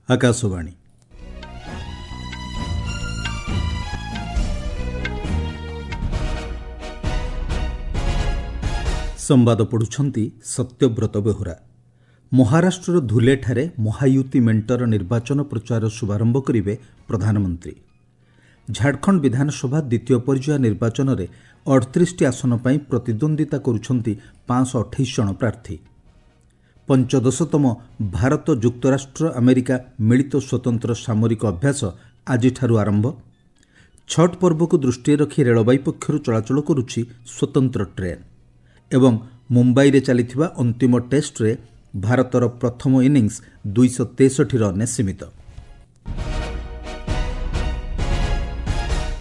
ଆକାଶବାଣୀ। ସମ୍ବାଦ ପଢ଼ୁଛନ୍ତି ସତ୍ୟବ୍ରତ ବେହୁରା। ମହାରାଷ୍ଟ୍ରର ଧୁଲେଠାରେ ମହାୟୁତି ମେଣ୍ଟର ନିର୍ବାଚନ ପ୍ରଚାରର ଶୁଭାରମ୍ଭ କରିବେ ପ୍ରଧାନମନ୍ତ୍ରୀ। ଝାଡ଼ଖଣ୍ଡ ବିଧାନସଭା ଦ୍ୱିତୀୟ ପର୍ଯ୍ୟାୟ ନିର୍ବାଚନରେ 38ଟି ଆସନ ପାଇଁ ପ୍ରତିଦ୍ୱନ୍ଦ୍ୱିତା କରୁଛନ୍ତି 528 ଜଣ ପ୍ରାର୍ଥୀ। ପଞ୍ଚଦଶତମ ଭାରତ ଯୁକ୍ତରାଷ୍ଟ୍ର ଆମେରିକା ମିଳିତ ସ୍ୱତନ୍ତ୍ର ସାମରିକ ଅଭ୍ୟାସ ଆଜିଠାରୁ ଆରମ୍ଭ। ଛଟ୍ ପର୍ବକୁ ଦୃଷ୍ଟିରେ ରଖି ରେଳବାଇ ପକ୍ଷରୁ ଚଳାଚଳ କରୁଛି ସ୍ୱତନ୍ତ୍ର ଟ୍ରେନ୍। ଏବଂ ମୁମ୍ବାଇରେ ଚାଲିଥିବା ଅନ୍ତିମ ଟେଷ୍ଟରେ ଭାରତର ପ୍ରଥମ ଇନିଂସ 263 ରନ୍ରେ ସୀମିତ।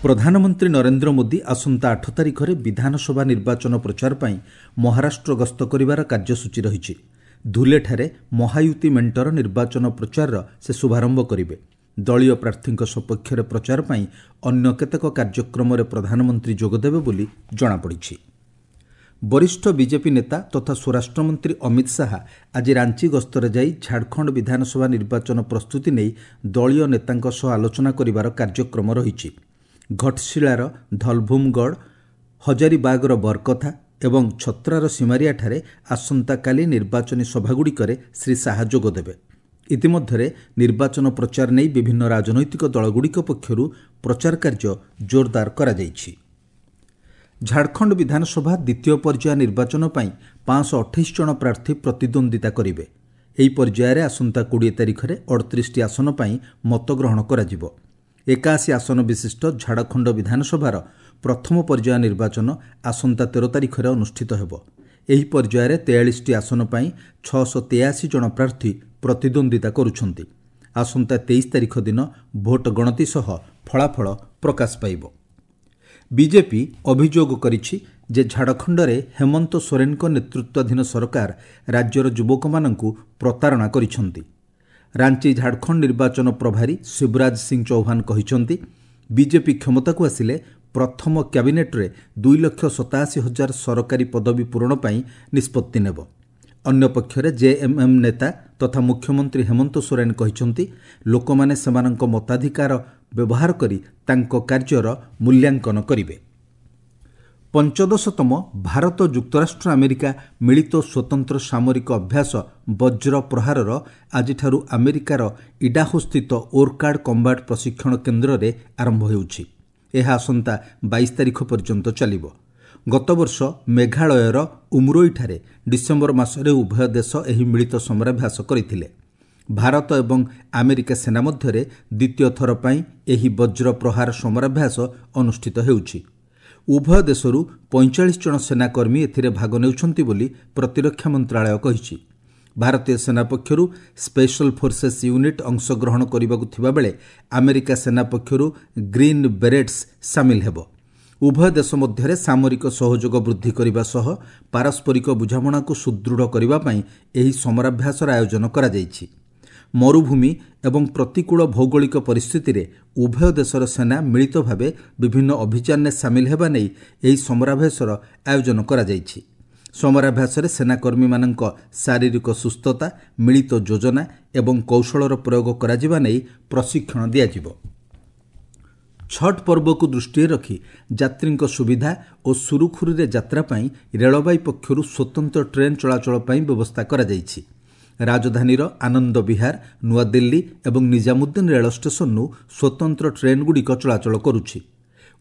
ପ୍ରଧାନମନ୍ତ୍ରୀ ନରେନ୍ଦ୍ର ମୋଦି ଆସନ୍ତା 8 ତାରିଖରେ ବିଧାନସଭା ନିର୍ବାଚନ ପ୍ରଚାର ପାଇଁ ମହାରାଷ୍ଟ୍ର ଗସ୍ତ କରିବାର କାର୍ଯ୍ୟସୂଚୀ ରହିଛି। ଧୁଲେଠାରେ ମହାୟୁତି ମେଣ୍ଟର ନିର୍ବାଚନ ପ୍ରଚାରର ସେ ଶୁଭାରମ୍ଭ କରିବେ। ଦଳୀୟ ପ୍ରାର୍ଥୀଙ୍କ ସପକ୍ଷରେ ପ୍ରଚାର ପାଇଁ ଅନ୍ୟ କେତେକ କାର୍ଯ୍ୟକ୍ରମରେ ପ୍ରଧାନମନ୍ତ୍ରୀ ଯୋଗଦେବେ ବୋଲି ଜଣାପଡ଼ିଛି। ବରିଷ୍ଠ ବିଜେପି ନେତା ତଥା ସ୍ୱରାଷ୍ଟ୍ରମନ୍ତ୍ରୀ ଅମିତ ଶାହା ଆଜି ରାଞ୍ଚି ଗସ୍ତରେ ଯାଇ ଝାଡ଼ଖଣ୍ଡ ବିଧାନସଭା ନିର୍ବାଚନ ପ୍ରସ୍ତୁତି ନେଇ ଦଳୀୟ ନେତାଙ୍କ ସହ ଆଲୋଚନା କରିବାର କାର୍ଯ୍ୟକ୍ରମ ରହିଛି। ଘଟଶିଳାର ଧଲଭୂମଗଡ଼, ହଜାରିବାଗର ବରକଥା ଏବଂ ଛତ୍ରାର ସିମାରିଆଠାରେ ଆସନ୍ତାକାଲି ନିର୍ବାଚନୀ ସଭାଗୁଡ଼ିକରେ ଶ୍ରୀ ଶାହା ଯୋଗଦେବେ। ଇତିମଧ୍ୟରେ ନିର୍ବାଚନ ପ୍ରଚାର ନେଇ ବିଭିନ୍ନ ରାଜନୈତିକ ଦଳଗୁଡ଼ିକ ପକ୍ଷରୁ ପ୍ରଚାର କାର୍ଯ୍ୟ ଜୋରଦାର କରାଯାଇଛି। ଝାଡ଼ଖଣ୍ଡ ବିଧାନସଭା ଦ୍ୱିତୀୟ ପର୍ଯ୍ୟାୟ ନିର୍ବାଚନ ପାଇଁ 528 ଜଣ ପ୍ରାର୍ଥୀ ପ୍ରତିଦ୍ୱନ୍ଦ୍ୱିତା କରିବେ। ଏହି ପର୍ଯ୍ୟାୟରେ ଆସନ୍ତା 20 ତାରିଖରେ 38ଟି ଆସନ ପାଇଁ ମତଗ୍ରହଣ କରାଯିବ। 81 ଆସନ ବିଶିଷ୍ଟ ଝାଡ଼ଖଣ୍ଡ ବିଧାନସଭାର ପ୍ରଥମ ପର୍ଯ୍ୟାୟ ନିର୍ବାଚନ ଆସନ୍ତା 13 ତାରିଖରେ ଅନୁଷ୍ଠିତ ହେବ। ଏହି ପର୍ଯ୍ୟାୟରେ 43ଟି ଆସନ ପାଇଁ 683 ଜଣ ପ୍ରାର୍ଥୀ ପ୍ରତିଦ୍ୱନ୍ଦ୍ୱିତା କରୁଛନ୍ତି। ଆସନ୍ତା 23 ତାରିଖ ଦିନ ଭୋଟ ଗଣତି ସହ ଫଳାଫଳ ପ୍ରକାଶ ପାଇବ। ବିଜେପି ଅଭିଯୋଗ କରିଛି ଯେ ଝାଡ଼ଖଣ୍ଡରେ ହେମନ୍ତ ସୋରେନଙ୍କ ନେତୃତ୍ୱାଧୀନ ସରକାର ରାଜ୍ୟର ଯୁବକମାନଙ୍କୁ ପ୍ରତାରଣା କରିଛନ୍ତି। ରାଞ୍ଚି ଝାଡ଼ଖଣ୍ଡ ନିର୍ବାଚନ ପ୍ରଭାରୀ ଶିବରାଜ ସିଂ ଚୌହାନ କହିଛନ୍ତି, ବିଜେପି କ୍ଷମତାକୁ ଆସିଲେ ପ୍ରଥମ କ୍ୟାବିନେଟ୍ରେ 2,87,000 ସରକାରୀ ପଦବୀ ପୂରଣ ପାଇଁ ନିଷ୍ପତ୍ତି ନେବ। ଅନ୍ୟପକ୍ଷରେ ଜେଏମ୍ଏମ୍ ନେତା ତଥା ମୁଖ୍ୟମନ୍ତ୍ରୀ ହେମନ୍ତ ସୋରେନ କହିଛନ୍ତି, ଲୋକମାନେ ସେମାନଙ୍କ ମତାଧିକାର ବ୍ୟବହାର କରି ତାଙ୍କ କାର୍ଯ୍ୟର ମୂଲ୍ୟାଙ୍କନ କରିବେ। ପଞ୍ଚଦଶତମ ଭାରତ ଯୁକ୍ତରାଷ୍ଟ୍ର ଆମେରିକା ମିଳିତ ସ୍ୱତନ୍ତ୍ର ସାମରିକ ଅଭ୍ୟାସ ବଜ୍ର ପ୍ରହାରର ଆଜିଠାରୁ ଆମେରିକାର ଇଡାହୋସ୍ଥିତ ଓର୍କାର୍ଡ କମ୍ବାଟ ପ୍ରଶିକ୍ଷଣ କେନ୍ଦ୍ରରେ ଆରମ୍ଭ ହେଉଛି। ଏହା ଆସନ୍ତା 22 ତାରିଖ ପର୍ଯ୍ୟନ୍ତ ଚାଲିବ। ଗତବର୍ଷ ମେଘାଳୟର ଉମରୋଇଠାରେ ଡିସେମ୍ବର ମାସରେ ଉଭୟ ଦେଶ ଏହି ମିଳିତ ସମରାଭ୍ୟାସ କରିଥିଲେ। ଭାରତ ଏବଂ ଆମେରିକା ସେନା ମଧ୍ୟରେ ଦ୍ୱିତୀୟ ଥର ପାଇଁ ଏହି ବଜ୍ର ପ୍ରହାର ସମରାଭ୍ୟାସ ଅନୁଷ୍ଠିତ ହେଉଛି। ଉଭୟ ଦେଶରୁ 45 ଜଣ ସେନାକର୍ମୀ ଏଥିରେ ଭାଗ ନେଉଛନ୍ତି ବୋଲି ପ୍ରତିରକ୍ଷା ମନ୍ତ୍ରଣାଳୟ କହିଛି। ଭାରତୀୟ ସେନା ପକ୍ଷରୁ ସ୍ପେଶାଲ ଫୋର୍ସେସ୍ ୟୁନିଟ୍ ଅଂଶଗ୍ରହଣ କରିବାକୁ ଥିବାବେଳେ ଆମେରିକା ସେନା ପକ୍ଷରୁ ଗ୍ରୀନ୍ ବେରେଟ୍ସ ସାମିଲ ହେବ। ଉଭୟ ଦେଶ ମଧ୍ୟରେ ସାମରିକ ସହଯୋଗ ବୃଦ୍ଧି କରିବା ସହ ପାରସ୍ପରିକ ବୁଝାମଣାକୁ ସୁଦୃଢ଼ କରିବା ପାଇଁ ଏହି ସମରାଭ୍ୟାସର ଆୟୋଜନ କରାଯାଇଛି। ମରୁଭୂମି ଏବଂ ପ୍ରତିକୂଳ ଭୌଗୋଳିକ ପରିସ୍ଥିତିରେ ଉଭୟ ଦେଶର ସେନା ମିଳିତ ଭାବେ ବିଭିନ୍ନ ଅଭିଯାନରେ ସାମିଲ ହେବା ନେଇ ଏହି ସମରାଭ୍ୟାସର ଆୟୋଜନ କରାଯାଇଛି। ସମରାଭ୍ୟାସରେ ସେନାକର୍ମୀମାନଙ୍କ ଶାରୀରିକ ସୁସ୍ଥତା, ମିଳିତ ଯୋଜନା ଏବଂ କୌଶଳର ପ୍ରୟୋଗ କରାଯିବା ନେଇ ପ୍ରଶିକ୍ଷଣ ଦିଆଯିବ। ଛଟ୍ ପର୍ବକୁ ଦୃଷ୍ଟିରେ ରଖି ଯାତ୍ରୀଙ୍କ ସୁବିଧା ଓ ସୁରୁଖୁରୁରେ ଯାତ୍ରା ପାଇଁ ରେଳବାଇ ପକ୍ଷରୁ ସ୍ୱତନ୍ତ୍ର ଟ୍ରେନ୍ ଚଳାଚଳ ପାଇଁ ବ୍ୟବସ୍ଥା କରାଯାଇଛି। ରାଜଧାନୀର ଆନନ୍ଦ ବିହାର, ନୂଆଦିଲ୍ଲୀ ଏବଂ ନିଜାମୁଦ୍ଦିନ ରେଳ ଷ୍ଟେସନରୁ ସ୍ୱତନ୍ତ୍ର ଟ୍ରେନ୍ଗୁଡ଼ିକ ଚଳାଚଳ କରୁଛି।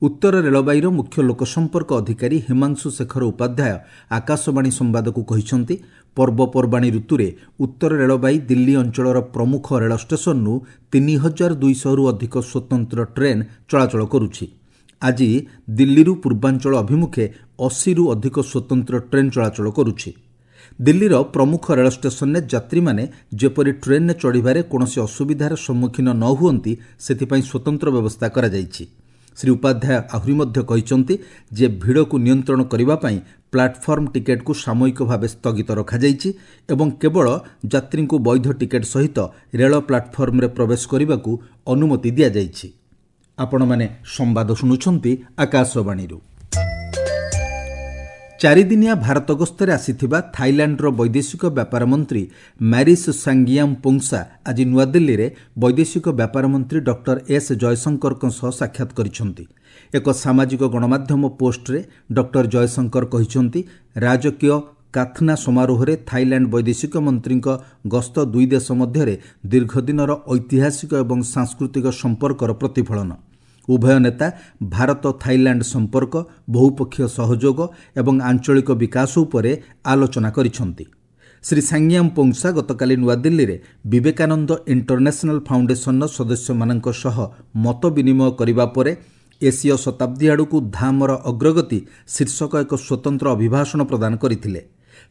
ଉତ୍ତର ରେଳବାଇର ମୁଖ୍ୟ ଲୋକସମ୍ପର୍କ ଅଧିକାରୀ ହିମାଂଶୁ ଶେଖର ଉପାଧ୍ୟାୟ ଆକାଶବାଣୀ ସମ୍ବାଦକୁ କହିଛନ୍ତି, ପର୍ବପର୍ବାଣୀ ଋତୁରେ ଉତ୍ତର ରେଳବାଇ ଦିଲ୍ଲୀ ଅଞ୍ଚଳର ପ୍ରମୁଖ ରେଳ ଷ୍ଟେସନରୁ 3200ରୁ ଅଧିକ ସ୍ୱତନ୍ତ୍ର ଟ୍ରେନ୍ ଚଳାଚଳ କରୁଛି। ଆଜି ଦିଲ୍ଲୀରୁ ପୂର୍ବାଞ୍ଚଳ ଅଭିମୁଖେ 80ରୁ ଅଧିକ ସ୍ୱତନ୍ତ୍ର ଟ୍ରେନ୍ ଚଳାଚଳ କରୁଛି। ଦିଲ୍ଲୀର ପ୍ରମୁଖ ରେଳ ଷ୍ଟେସନରେ ଯାତ୍ରୀମାନେ ଯେପରି ଟ୍ରେନ୍ରେ ଚଢ଼ିବାରେ କୌଣସି ଅସୁବିଧାର ସମ୍ମୁଖୀନ ନ ହୁଅନ୍ତି, ସେଥିପାଇଁ ସ୍ୱତନ୍ତ୍ର ବ୍ୟବସ୍ଥା କରାଯାଇଛି। ଶ୍ରୀ ଉପାଧ୍ୟାୟ ଆହୁରି ମଧ୍ୟ କହିଛନ୍ତି ଯେ ଭିଡ଼କୁ ନିୟନ୍ତ୍ରଣ କରିବା ପାଇଁ ପ୍ଲାଟଫର୍ମ ଟିକେଟ୍କୁ ସାମୟିକ ଭାବେ ସ୍ଥଗିତ ରଖାଯାଇଛି ଏବଂ କେବଳ ଯାତ୍ରୀଙ୍କୁ ବୈଧ ଟିକେଟ୍ ସହିତ ରେଳ ପ୍ଲାଟଫର୍ମରେ ପ୍ରବେଶ କରିବାକୁ ଅନୁମତି ଦିଆଯାଇଛି। ଆପଣମାନେ ସମ୍ବାଦ ଶୁଣୁଛନ୍ତି ଆକାଶବାଣୀରୁ। ଚାରିଦିନିଆ ଭାରତ ଗସ୍ତରେ ଆସିଥିବା ଥାଇଲାଣ୍ଡର ବୈଦେଶିକ ବ୍ୟାପାର ମନ୍ତ୍ରୀ ମ୍ୟାରିସ୍ ସାଙ୍ଗିଆମ୍ ପୋଙ୍ଗସା ଆଜି ନୂଆଦିଲ୍ଲୀରେ ବୈଦେଶିକ ବ୍ୟାପାର ମନ୍ତ୍ରୀ ଡକ୍ଟର ଏସ୍ ଜୟଶଙ୍କରଙ୍କ ସହ ସାକ୍ଷାତ କରିଛନ୍ତି। ଏକ ସାମାଜିକ ଗଣମାଧ୍ୟମ ପୋଷ୍ଟରେ ଡକ୍ଟର ଜୟଶଙ୍କର କହିଛନ୍ତି, ରାଜକୀୟ କାଥନା ସମାରୋହରେ ଥାଇଲାଣ୍ଡ ବୈଦେଶିକ ମନ୍ତ୍ରୀଙ୍କ ଗସ୍ତ ଦୁଇ ଦେଶ ମଧ୍ୟରେ ଦୀର୍ଘଦିନର ଐତିହାସିକ ଏବଂ ସାଂସ୍କୃତିକ ସମ୍ପର୍କର ପ୍ରତିଫଳନ। ଉଭୟ ନେତା ଭାରତ ଥାଇଲାଣ୍ଡ ସମ୍ପର୍କ, ବହୁପକ୍ଷୀୟ ସହଯୋଗ ଏବଂ ଆଞ୍ଚଳିକ ବିକାଶ ଉପରେ ଆଲୋଚନା କରିଛନ୍ତି। ଶ୍ରୀ ସାଙ୍ଗିଆମ୍ ପୋଙ୍ଗସା ଗତକାଲି ନୂଆଦିଲ୍ଲୀରେ ବିବେକାନନ୍ଦ ଇଣ୍ଟରନ୍ୟାସନାଲ ଫାଉଣ୍ଡେସନର ସଦସ୍ୟମାନଙ୍କ ସହ ମତ ବିନିମୟ କରିବା ପରେ ଏସୀୟ ଶତାବ୍ଦୀ ଆଡ଼କୁ ଧାମର ଅଗ୍ରଗତି ଶୀର୍ଷକ ଏକ ସ୍ୱତନ୍ତ୍ର ଅଭିଭାଷଣ ପ୍ରଦାନ କରିଥିଲେ।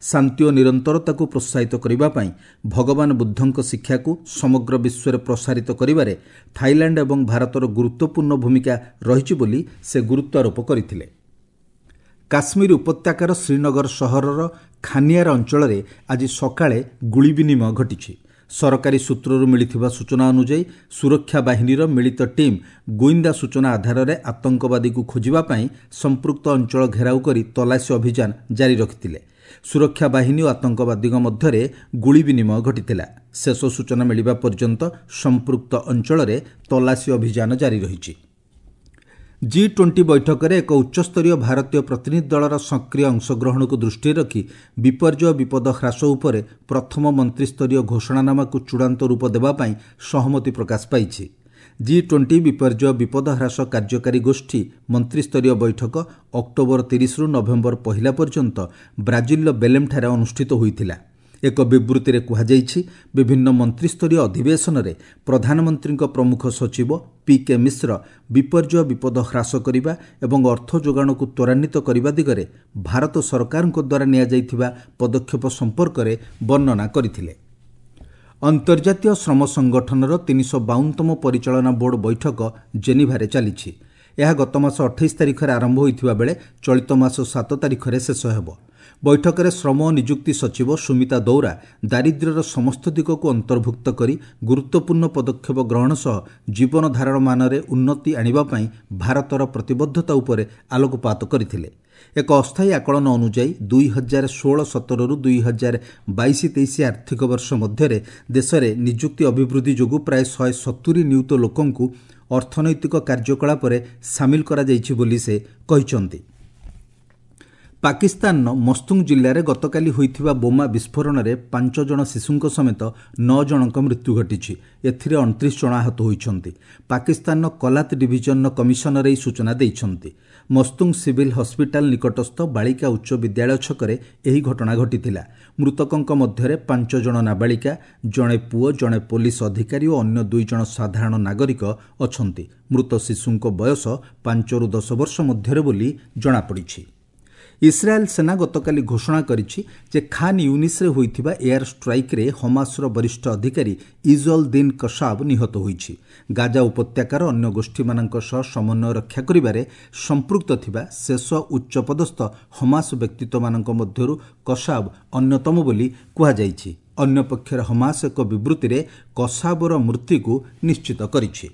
ଶାନ୍ତି ଓ ନିରନ୍ତରତାକୁ ପ୍ରୋତ୍ସାହିତ କରିବା ପାଇଁ ଭଗବାନ ବୁଦ୍ଧଙ୍କ ଶିକ୍ଷାକୁ ସମଗ୍ର ବିଶ୍ୱରେ ପ୍ରସାରିତ କରିବାରେ ଥାଇଲାଣ୍ଡ ଏବଂ ଭାରତର ଗୁରୁତ୍ୱପୂର୍ଣ୍ଣ ଭୂମିକା ରହିଛି ବୋଲି ସେ ଗୁରୁତ୍ୱାରୋପ କରିଥିଲେ। କାଶ୍ମୀର ଉପତ୍ୟକାର ଶ୍ରୀନଗର ସହରର ଖାନିଆର ଅଞ୍ଚଳରେ ଆଜି ସକାଳେ ଗୁଳି ବିନିମୟ ଘଟିଛି। ସରକାରୀ ସୂତ୍ରରୁ ମିଳିଥିବା ସୂଚନା ଅନୁଯାୟୀ, ସୁରକ୍ଷା ବାହିନୀର ମିଳିତ ଟିମ୍ ଗୁଇନ୍ଦା ସୂଚନା ଆଧାରରେ ଆତଙ୍କବାଦୀକୁ ଖୋଜିବା ପାଇଁ ସମ୍ପୃକ୍ତ ଅଞ୍ଚଳ ଘେରାଉ କରି ତଲାସୀ ଅଭିଯାନ ଜାରି ରଖିଥିଲେ। ସୁରକ୍ଷା ବାହିନୀ ଓ ଆତଙ୍କବାଦୀଙ୍କ ମଧ୍ୟରେ ଗୁଳି ବିନିମୟ ଘଟିଥିଲା। ଶେଷ ସୂଚନା ମିଳିବା ପର୍ଯ୍ୟନ୍ତ ସମ୍ପୃକ୍ତ ଅଞ୍ଚଳରେ ତଲାସୀ ଅଭିଯାନ ଜାରି ରହିଛି। ଜି-20 ବୈଠକରେ ଏକ ଉଚ୍ଚସ୍ତରୀୟ ଭାରତୀୟ ପ୍ରତିନିଧି ଦଳର ସକ୍ରିୟ ଅଂଶଗ୍ରହଣକୁ ଦୃଷ୍ଟିରେ ରଖି ବିପର୍ଯ୍ୟୟ ବିପଦ ହ୍ରାସ ଉପରେ ପ୍ରଥମ ମନ୍ତ୍ରିସ୍ତରୀୟ ଘୋଷଣାନାମାକୁ ଚୂଡ଼ାନ୍ତ ରୂପ ଦେବା ପାଇଁ ସହମତି ପ୍ରକାଶ ପାଇଛି। ଜି-20 ବିପର୍ଯ୍ୟୟ ବିପଦ ହ୍ରାସ କାର୍ଯ୍ୟକାରୀ ଗୋଷ୍ଠୀ ମନ୍ତ୍ରିସ୍ତରୀୟ ବୈଠକ ଅକ୍ଟୋବର 30ରୁ ନଭେମ୍ବର 1 ପର୍ଯ୍ୟନ୍ତ ବ୍ରାଜିଲର ବେଲେମ୍ଠାରେ ଅନୁଷ୍ଠିତ ହୋଇଥିଲା। ଏକ ବିବୃତ୍ତିରେ କୁହାଯାଇଛି, ବିଭିନ୍ନ ମନ୍ତ୍ରିସ୍ତରୀୟ ଅଧିବେଶନରେ ପ୍ରଧାନମନ୍ତ୍ରୀଙ୍କ ପ୍ରମୁଖ ସଚିବ ପି କେ ମିଶ୍ର ବିପର୍ଯ୍ୟୟ ବିପଦ ହ୍ରାସ କରିବା ଏବଂ ଅର୍ଥ ଯୋଗାଣକୁ ତ୍ୱରାନ୍ୱିତ କରିବା ଦିଗରେ ଭାରତ ସରକାରଙ୍କ ଦ୍ୱାରା ନିଆଯାଇଥିବା ପଦକ୍ଷେପ ସମ୍ପର୍କରେ ବର୍ଣ୍ଣନା କରିଥିଲେ। ଅନ୍ତର୍ଜାତୀୟ ଶ୍ରମ ସଂଗଠନର 352ତମ ପରିଚାଳନା ବୋର୍ଡ ବୈଠକ ଜେନିଭାରେ ଚାଲିଛି। ଏହା ଗତମାସ 28 ତାରିଖରେ ଆରମ୍ଭ ହୋଇଥିବା ବେଳେ ଚଳିତ ମାସ 7 ତାରିଖରେ ଶେଷ ହେବ। ବୈଠକରେ ଶ୍ରମ ଓ ନିଯୁକ୍ତି ସଚିବ ସୁମିତା ଦୌରା ଦାରିଦ୍ର୍ୟର ସମସ୍ତ ଦିଗକୁ ଅନ୍ତର୍ଭୁକ୍ତ କରି ଗୁରୁତ୍ୱପୂର୍ଣ୍ଣ ପଦକ୍ଷେପ ଗ୍ରହଣ ସହ ଜୀବନଧାରଣ ମାନରେ ଉନ୍ନତି ଆଣିବା ପାଇଁ ଭାରତର ପ୍ରତିବଦ୍ଧତା ଉପରେ ଆଲୋକପାତ କରିଥିଲେ। ଏକ ଅସ୍ଥାୟୀ ଆକଳନ ଅନୁଯାୟୀ 2016-17ରୁ 2022-23 ଆର୍ଥିକ ବର୍ଷ ମଧ୍ୟରେ ଦେଶରେ ନିଯୁକ୍ତି ଅଭିବୃଦ୍ଧି ଯୋଗୁଁ ପ୍ରାୟ 170 ନିୟୁତ ଲୋକଙ୍କୁ ଅର୍ଥନୈତିକ କାର୍ଯ୍ୟକଳାପରେ ସାମିଲ କରାଯାଇଛି ବୋଲି ସେ କହିଛନ୍ତି। ପାକିସ୍ତାନର ମସ୍ତୁଙ୍ଗ ଜିଲ୍ଲାରେ ଗତକାଲି ହୋଇଥିବା ବୋମା ବିସ୍ଫୋରଣରେ 5 ଜଣ ଶିଶୁଙ୍କ ସମେତ 9 ଜଣଙ୍କ ମୃତ୍ୟୁ ଘଟିଛି। ଏଥିରେ 29 ଜଣ ଆହତ ହୋଇଛନ୍ତି। ପାକିସ୍ତାନର କଲାତ ଡିଭିଜନର କମିଶନର ଏହି ସୂଚନା ଦେଇଛନ୍ତି। ମସ୍ତୁଙ୍ଗ ସିଭିଲ୍ ହସ୍ପିଟାଲ ନିକଟସ୍ଥ ବାଳିକା ଉଚ୍ଚ ବିଦ୍ୟାଳୟ ଛକରେ ଏହି ଘଟଣା ଘଟିଥିଲା। ମୃତକଙ୍କ ମଧ୍ୟରେ 5 ଜଣ ନାବାଳିକା, ଜଣେ ପୁଅ, ଜଣେ ପୋଲିସ ଅଧିକାରୀ ଓ ଅନ୍ୟ 2 ଜଣ ସାଧାରଣ ନାଗରିକ ଅଛନ୍ତି। ମୃତ ଶିଶୁଙ୍କ ବୟସ 5ରୁ 10 ବର୍ଷ ମଧ୍ୟରେ ବୋଲି ଜଣାପଡ଼ିଛି। ଇସ୍ରାଏଲ୍ ସେନା ଗତକାଲି ଘୋଷଣା କରିଛି ଯେ ଖାନ୍ ୟୁନିସ୍ରେ ହୋଇଥିବା ଏୟାର ଷ୍ଟ୍ରାଇକ୍ରେ ହମାସର ବରିଷ୍ଠ ଅଧିକାରୀ ଇଜ୍ ଅଲ୍ ଦିନ୍ କସାବ ନିହତ ହୋଇଛି। ଗାଜା ଉପତ୍ୟକାର ଅନ୍ୟ ଗୋଷ୍ଠୀମାନଙ୍କ ସହ ସମନ୍ୱୟ ରକ୍ଷା କରିବାରେ ସମ୍ପୃକ୍ତ ଥିବା ଶେଷ ଉଚ୍ଚପଦସ୍ଥ ହମାସ ବ୍ୟକ୍ତିତ୍ୱମାନଙ୍କ ମଧ୍ୟରୁ କସାବ ଅନ୍ୟତମ ବୋଲି କୁହାଯାଇଛି। ଅନ୍ୟପକ୍ଷରେ ହମାସ ଏକ ବିବୃତ୍ତିରେ କସାବର ମୃତ୍ୟୁକୁ ନିଶ୍ଚିତ କରିଛି।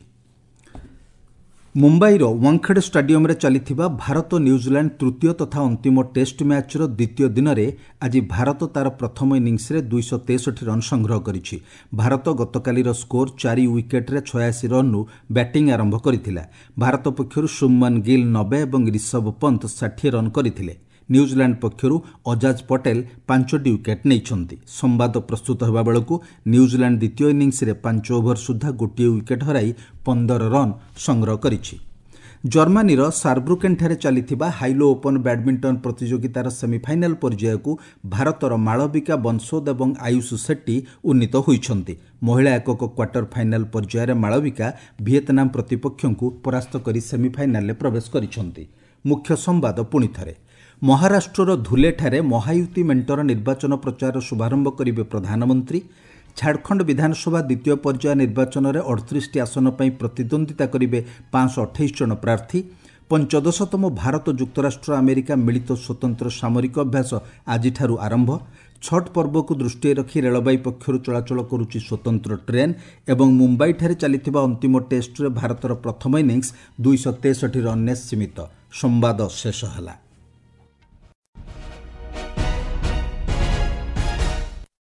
ମୁମ୍ବାଇର ୱାଙ୍ଖେଡେ ଷ୍ଟାଡିୟମରେ ଚାଲିଥିବା ଭାରତ ନ୍ୟୁଜିଲାଣ୍ଡ ତୃତୀୟ ତଥା ଅନ୍ତିମ ଟେଷ୍ଟ ମ୍ୟାଚ୍ର ଦ୍ୱିତୀୟ ଦିନରେ ଆଜି ଭାରତ ତା'ର ପ୍ରଥମ ଇନିଂସରେ 263 ରନ୍ ସଂଗ୍ରହ କରିଛି। ଭାରତ ଗତକାଲିର ସ୍କୋର 4 ୱିକେଟ୍ରେ 86 ରନ୍ରୁ ବ୍ୟାଟିଂ ଆରମ୍ଭ କରିଥିଲା। ଭାରତ ପକ୍ଷରୁ ଶୁଭମନ ଗିଲ୍ 90 ଏବଂ ରିଷଭ ପନ୍ତ 60 ରନ୍ କରିଥିଲେ। ନ୍ୟୁଜିଲାଣ୍ଡ ପକ୍ଷରୁ ଅଜାଜ ପଟେଲ 5ଟି ୱିକେଟ୍ ନେଇଛନ୍ତି। ସମ୍ବାଦ ପ୍ରସ୍ତୁତ ହେବା ବେଳକୁ ନ୍ୟୁଜିଲାଣ୍ଡ ଦ୍ୱିତୀୟ ଇନିଂସରେ 5 ଓଭର ସୁଦ୍ଧା 1 ୱିକେଟ୍ ହରାଇ 15 ରନ୍ ସଂଗ୍ରହ କରିଛି। ଜର୍ମାନୀର ସାରବ୍ରୁକେନ୍ଠାରେ ଚାଲିଥିବା ହାଇଲୋ ଓପନ୍ ବ୍ୟାଡମିଣ୍ଟନ ପ୍ରତିଯୋଗିତାର ସେମିଫାଇନାଲ ପର୍ଯ୍ୟାୟକୁ ଭାରତର ମାଳବିକା ବନସୋଦ ଏବଂ ଆୟୁଷ ସେଟ୍ଟି ଉନ୍ନୀତ ହୋଇଛନ୍ତି। ମହିଳା ଏକକ କ୍ୱାର୍ଟର ଫାଇନାଲ ପର୍ଯ୍ୟାୟରେ ମାଳବିକା ଭିଏତନାମ ପ୍ରତିପକ୍ଷଙ୍କୁ ପରାସ୍ତ କରି ସେମିଫାଇନାଲରେ ପ୍ରବେଶ କରିଛନ୍ତି। ମୁଖ୍ୟ ସମ୍ବାଦ ପୁଣିଥରେ। ମହାରାଷ୍ଟ୍ରର ଧୁଲେଠାରେ ମହାୟୁତି ମେଣ୍ଟର ନିର୍ବାଚନ ପ୍ରଚାରର ଶୁଭାରମ୍ଭ କରିବେ ପ୍ରଧାନମନ୍ତ୍ରୀ। ଝାଡ଼ଖଣ୍ଡ ବିଧାନସଭା ଦ୍ୱିତୀୟ ପର୍ଯ୍ୟାୟ ନିର୍ବାଚନରେ 38ଟି ଆସନ ପାଇଁ ପ୍ରତିଦ୍ୱନ୍ଦ୍ୱିତା କରିବେ 528 ଜଣ ପ୍ରାର୍ଥୀ। 15ତମ ଭାରତ ଯୁକ୍ତରାଷ୍ଟ୍ର ଆମେରିକା ମିଳିତ ସ୍ୱତନ୍ତ୍ର ସାମରିକ ଅଭ୍ୟାସ ଆଜିଠାରୁ ଆରମ୍ଭ। ଛଟ୍ ପର୍ବକୁ ଦୃଷ୍ଟିରେ ରଖି ରେଳବାଇ ପକ୍ଷରୁ ଚଳାଚଳ କରୁଛି ସ୍ୱତନ୍ତ୍ର ଟ୍ରେନ୍। ଏବଂ ମୁମ୍ବାଇଠାରେ ଚାଲିଥିବା ଅନ୍ତିମ ଟେଷ୍ଟରେ ଭାରତର ପ୍ରଥମ ଇନିଂସ 263 ରନ୍ରେ ସୀମିତ। ସମ୍ବାଦ ଶେଷ ହେଲା।